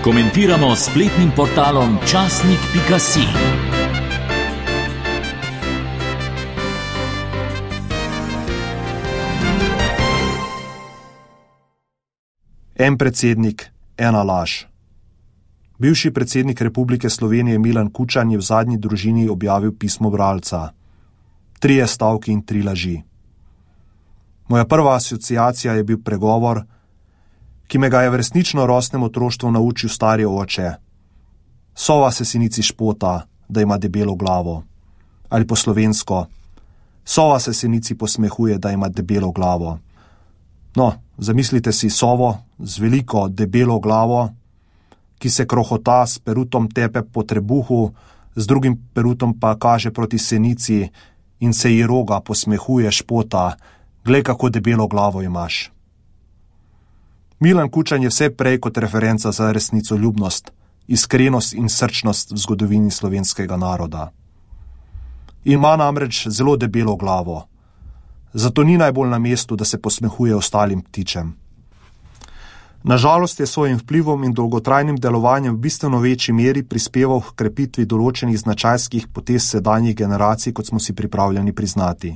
Komentiramo s spletnim portalom časnik.si. En predsednik, ena laž. Bivši predsednik Republike Slovenije Milan Kučan je v Zadnji družini objavil pismo bralca. 3 stavki in 3 laži. Moja prva asociacija je bil pregovor, ki me ga je v resnično rosnem otroštvu naučil stari oče. Sova se sinici špota, da ima debelo glavo. Ali po slovensko, sova se sinici posmehuje, da ima debelo glavo. No, zamislite si sovo z veliko debelo glavo, ki se krohota s perutom tepe po trebuhu, z drugim perutom pa kaže proti senici in se ji roga, posmehuje, špota. Glej, kako debelo glavo imaš. Milan Kučan je vse prej kot referenca za resnicoljubnost, iskrenost in srčnost v zgodovini slovenskega naroda. Ima namreč zelo debelo glavo. Zato ni najbolj na mestu, da se posmehuje ostalim ptičem. Nažalost je svojim vplivom in dolgotrajnim delovanjem v bistveno večji meri prispeval k krepitvi določenih značajskih potez sedanjih generacij, kot smo si pripravljeni priznati.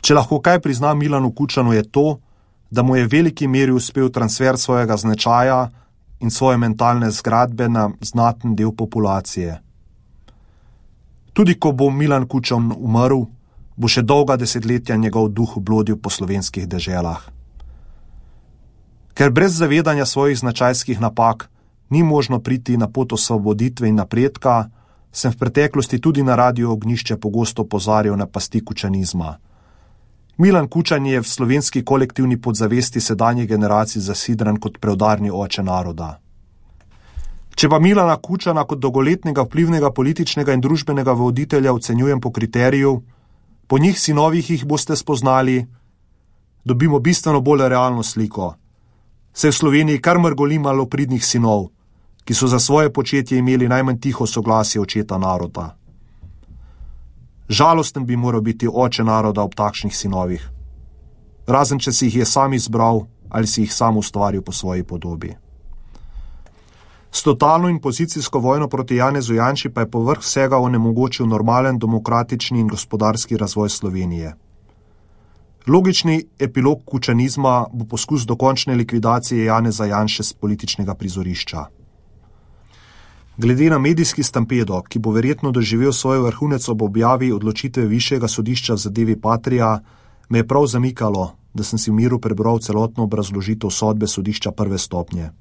Če lahko kaj prizna Milanu Kučanu, je to, da mu je v veliki meri uspel transfer svojega značaja in svoje mentalne zgradbe na znaten del populacije. Tudi ko bo Milan Kučan umrl, bo še dolga desetletja njegov duh blodil po slovenskih deželah. Ker brez zavedanja svojih značajskih napak ni možno priti na pot osvoboditve in napredka, sem v preteklosti tudi na Radiu Ognjišče pogosto opozarjal na pasti kučanizma. Milan Kučan je v slovenski kolektivni podzavesti sedanjih generacij zasidran kot preudarni oče naroda. Če pa Milana Kučana kot dolgoletnega vplivnega političnega in družbenega voditelja ocenjujem po kriteriju, po njih sinovih jih boste spoznali, dobimo bistveno bolj realno sliko. Se v Sloveniji kar mrgoli malopridnih sinov, ki so za svoje početje imeli najmanj tiho soglasje očeta naroda. Žalosten bi moral biti oče naroda ob takšnih sinovih, razen če si jih je sam izbral ali si jih sam ustvaril po svoji podobi. S totalno in pozicijsko vojno proti Janezu Janši pa je povrh vsega onemogočil normalen, demokratični in gospodarski razvoj Slovenije. Logični epilog kučanizma bo poskus dokončne likvidacije Janeza Janše s političnega prizorišča. Glede na medijski stampedo, ki bo verjetno doživel svoj vrhunec ob objavi odločitve Višjega sodišča v zadevi Patria, me je prav zamikalo, da sem si v miru prebral celotno obrazložitev sodbe sodišča prve stopnje.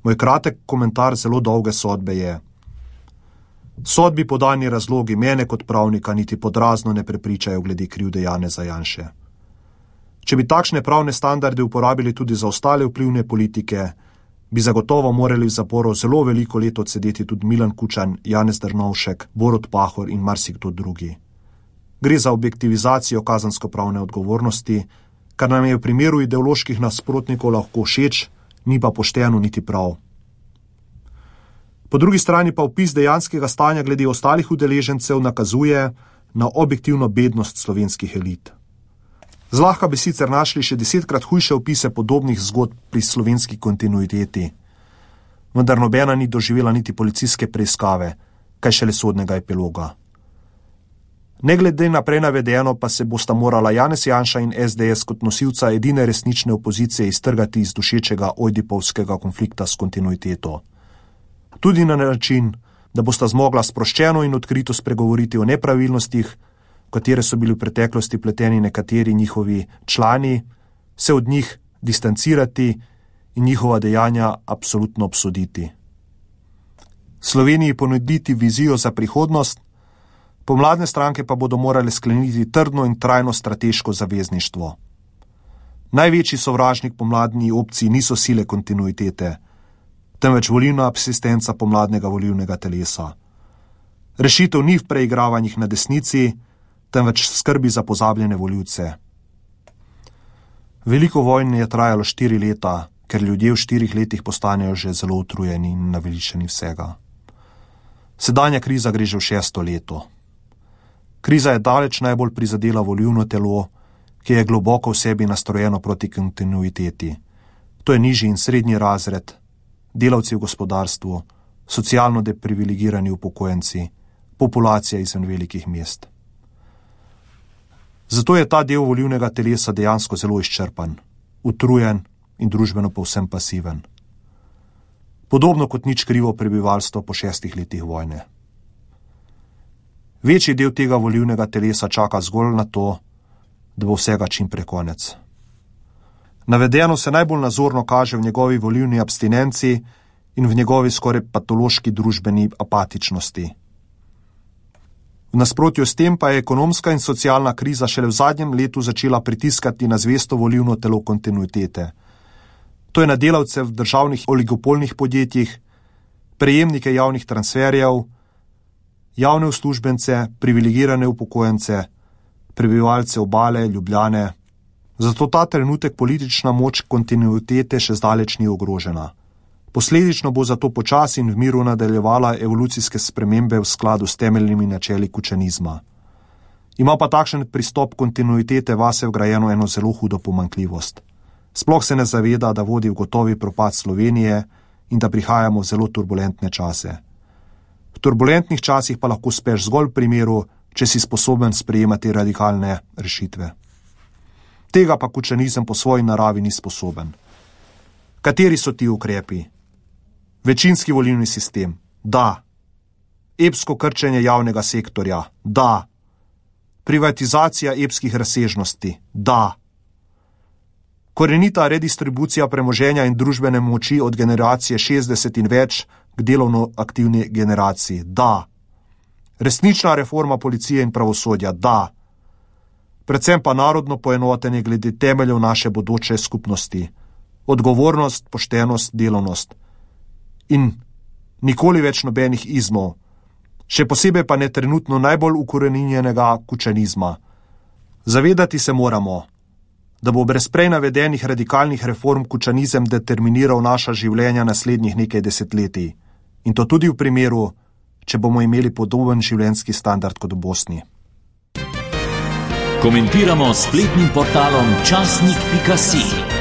Moj kratek komentar zelo dolge sodbe je: sodbi podani razlogi mene kot pravnika niti podrazno ne prepričajo glede krivde Janeza Janše. Če bi takšne pravne standarde uporabili tudi za ostale vplivne politike, bi zagotovo morali v zaporu zelo veliko let odsedeti tudi Milan Kučan, Janez Drnovšek, Borut Pahor in marsikdo drugi. Gre za objektivizacijo kazensko-pravne odgovornosti, kar nam je v primeru ideoloških nasprotnikov lahko všeč, ni pa pošteno niti prav. Po drugi strani pa opis dejanskega stanja glede ostalih udeležencev nakazuje na objektivno bednost slovenskih elit. Zlahka bi sicer našli še 10-krat hujše opise podobnih zgodb pri slovenski kontinuiteti, vendar nobena ni doživela niti policijske preiskave, kaj šele sodnega epiloga. Ne glede na prej navedeno pa se bosta morala Janez Janša in SDS kot nosilca edine resnične opozicije iztrgati iz dušečega ojdipovskega konflikta s kontinuiteto. Tudi na način, da bosta zmogla sproščeno in odkrito spregovoriti o nepravilnostih, v katere so bili v preteklosti pleteni nekateri njihovi člani, se od njih distancirati in njihova dejanja absolutno obsoditi. Sloveniji ponuditi vizijo za prihodnost, pomladne stranke pa bodo morale skleniti trdno in trajno strateško zavezništvo. Največji sovražnik pomladni opciji niso sile kontinuitete, temveč volilna absistenca pomladnega volilnega telesa. Rešitev ni v preigravanjih na desnici, temveč skrbi za pozabljene volivce. Veliko vojn je trajalo 4 leta, ker ljudje v 4 letih postanejo že zelo utrujeni in naveličani vsega. Sedanja kriza gre že v 6. leto. Kriza je daleč najbolj prizadela volilno telo, ki je globoko v sebi nastrojeno proti kontinuiteti. To je nižji in srednji razred, delavci v gospodarstvu, socialno deprivilegirani upokojenci, populacija izven velikih mest. Zato je ta del volilnega telesa dejansko zelo izčrpan, utrujen in družbeno povsem pasiven. Podobno kot nič krivo prebivalstvo po 6 letih vojne. Večji del tega volilnega telesa čaka zgolj na to, da bo vsega čim prej konec. Navedeno se najbolj nazorno kaže v njegovi volilni abstinenci in v njegovi skoraj patološki družbeni apatičnosti. V nasprotju s tem pa je ekonomska in socialna kriza šele v zadnjem letu začela pritiskati na zvesto volilno telo kontinuitete. To je na delavce v državnih oligopolnih podjetjih, prejemnike javnih transferjev, javne uslužbence, privilegirane upokojence, prebivalce Obale, Ljubljane. Zato ta trenutek politična moč kontinuitete še zdaleč ni ogrožena. Posledično bo zato počasi in v miru nadaljevala evolucijske spremembe v skladu s temeljnimi načeli kučanizma. Ima pa takšen pristop kontinuitete vase vgrajeno eno zelo hudo pomanjkljivost. Sploh se ne zaveda, da vodi v gotovi propad Slovenije in da prihajamo v zelo turbulentne čase. V turbulentnih časih pa lahko uspeš zgolj v primeru, če si sposoben sprejemati radikalne rešitve. Tega pa kučanizem po svoji naravi ni sposoben. Kateri so ti ukrepi? Večinski volilni sistem? Da. Epsko krčenje javnega sektorja? Da. Privatizacija epskih razsežnosti? Da. Korenita redistribucija premoženja in družbene moči od generacije 60 in več k delovno aktivni generaciji? Da. Resnična reforma policije in pravosodja? Da. Predvsem pa narodno poenotenje glede temeljev naše bodoče skupnosti. Odgovornost, poštenost, delovnost. In nikoli več nobenih izmov. Še posebej pa ne trenutno najbolj ukoreninjenega kučanizma. Zavedati se moramo, da bo brez prej navedenih radikalnih reform kučanizem determiniral naša življenja naslednjih nekaj desetletij. In to tudi v primeru, če bomo imeli podoben življenjski standard kot v Bosni. Komentiramo s spletnim portalom časnik.si.